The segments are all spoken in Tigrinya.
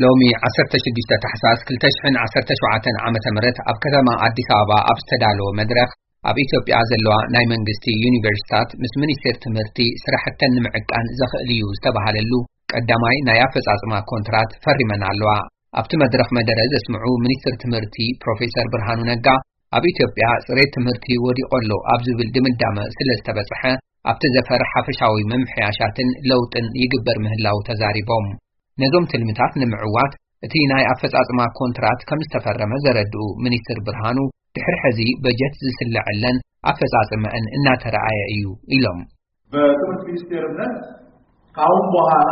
ሎሚ ዓሰርተ ሽዱሽተ ታሕሳስ ክልተ ሽሕን ዓሰርተ ሸውዓተን ዓመተ ምህረት ኣብ ከተማ ኣዲስ ኣበባ ኣብ ዝተዳለወ መድረኽ፣ ኣብ ኢትዮጵያ ዘለዋ ናይ መንግስቲ ዩኒቨርሲታት ምስ ሚኒስቴር ትምህርቲ ስራሕተን ንምዕቃን ዘኽእል እዩ ዝተባሃለሉ ቀዳማይ ናይ ኣፈጻጽማ ኮንትራት ፈሪመን ኣለዋ። ኣብቲ መድረኽ መደረ ዘስምዑ ሚኒስትር ትምህርቲ ፕሮፌሰር ብርሃኑ ነጋ፣ ኣብ ኢትዮጵያ ጽሬት ትምህርቲ ወዲቑ ኣሎ ኣብ ዝብል ድምዳመ ስለ ዝተበጽሐ፣ ኣብቲ ዘፈር ሓፈሻዊ ምምሕያሻትን ለውጥን ይግበር ምህላው ተዛሪቦም። ነዞም ትልምታት ንምዕዋት እቲ ናይ ኣፈጻጽማ ኮንትራት ከም ዝተፈረመ ዘረድኡ ሚኒስትር ብርሃኑ፣ ድሕሪ ሕዚ በጀት ዝስለዐለን ኣፈጻጽመአን እናተረኣየ እዩ ኢሎም። በትምህርት ሚኒስቴርነት ካሁን በኋላ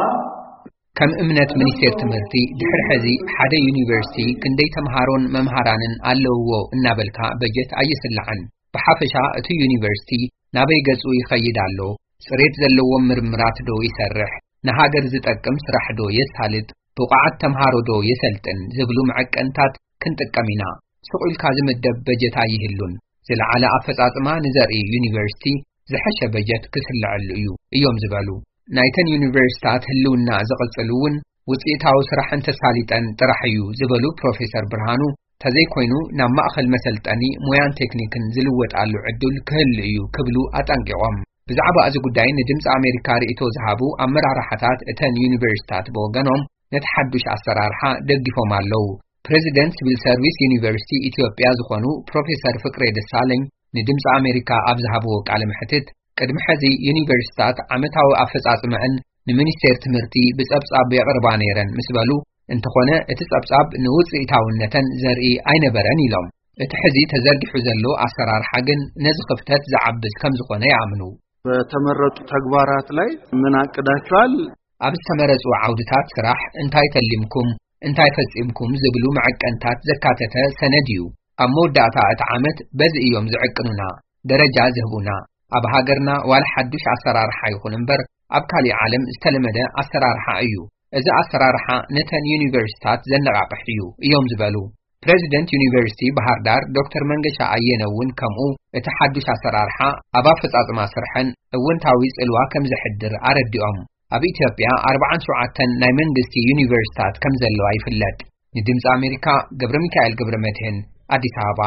ከም እምነት ሚኒስቴር ትምህርቲ፣ ድሕሪ ሕዚ ሓደ ዩኒቨርሲቲ ክንደይ ተምሃሮን መምሃራንን ኣለውዎ እናበልካ በጀት ኣይስላዕን። ብሓፈሻ እቲ ዩኒቨርሲቲ ናበይ ገጹ ይኸይድ ኣሎ፣ ጽሬት ዘለዎም ምርምራት ዶ ይሰርሕ፣ ንሃገር ዝጠቅም ስራሕ ዶ የሳልጥ፣ ብቑዓት ተምሃሮ ዶ የሰልጥን ዝብሉ መዐቀንታት ክንጥቀም ኢና። ስቕ ኢልካ ዝምደብ በጀት ኣይህሉን። ዝለዓለ ኣፈጻጽማ ንዘርኢ ዩኒቨርሲቲ ዝሐሸ በጀት ክስልዐሉ እዩ እዮም ዝበሉ። ናይተን ዩኒቨርሲታት ህልውና ዝቕጽል እውን ውጽኢታዊ ስራሕ እንተሳሊጠን ጥራሕ እዩ ዝበሉ ፕሮፌሰር ብርሃኑ፣ ተዘይኮይኑ ናብ ማእኸል መሰልጠኒ ሞያን ቴክኒክን ዝልወጣሉ ዕድል ክህሉ እዩ ክብሉ ኣጠንቂቖም። ብዛዕባ እዚ ጉዳይ ንድምፂ ኣሜሪካ ርእይቶ ዝሃቡ ኣመራርሓታት እተን ዩኒቨርሲታት ብወገኖም፣ ነቲ ሓዱሽ ኣሰራርሓ ደጊፎም ኣለዉ። ፕሬዚደንት ሲቪል ሰርቪስ ዩኒቨርሲቲ ኢትዮጵያ ዝኾኑ ፕሮፌሰር ፍቅሬ ደሳለኝ ንድምፂ ኣሜሪካ ኣብ ዝሃብዎ ቃለ መሕትት፣ ቅድሚ ሕዚ ዩኒቨርሲታት ዓመታዊ ኣፈጻጽመአን ንሚኒስቴር ትምህርቲ ብጸብጻብ የቕርባ ነይረን ምስ በሉ፣ እንተኾነ እቲ ጸብጻብ ንውጽኢታውነተን ዘርኢ ኣይነበረን ኢሎም። እቲ ሕዚ ተዘርጊሑ ዘሎ ኣሰራርሓ ግን ነዚ ክፍተት ዝዓብስ ከም ዝኾነ ይኣምኑ። በተመረጡ ተግባራት ላይ ምን አቅዳችኋል? ኣብ ዝተመረጹ ዓውድታት ስራሕ እንታይ ተሊምኩም፣ እንታይ ፈጺምኩም ዝብሉ መዐቀንታት ዘካተተ ሰነድ እዩ። ኣብ መወዳእታ እቲ ዓመት በዚ እዮም ዝዕቅኑና፣ ደረጃ ዝህቡና። ኣብ ሃገርና ዋላ ሓዱሽ ኣሰራርሓ ይኹን እምበር፣ ኣብ ካሊእ ዓለም ዝተለመደ ኣሰራርሓ እዩ። እዚ ኣሰራርሓ ነተን ዩኒቨርሲታት ዘነቓቕሕ እዩ እዮም ዝበሉ። ፕሬዚደንት ዩኒቨርሲቲ ባህር ዳር ዶክተር መንገሻ ኣየነ እውን ከምኡ እቲ ሓዱሽ ኣሰራርሓ ኣብ ኣፈጻጽማ ስርሐን እውንታዊ ጽልዋ ከም ዘሕድር ኣረዲኦም። ኣብ ኢትዮጵያ ኣርባዓን ሸውዓተን ናይ መንግስቲ ዩኒቨርሲታት ከም ዘለዋ ይፍለጥ። ንድምፂ ኣሜሪካ ገብረ ሚካኤል ገብረ መድህን፣ ኣዲስ ኣበባ።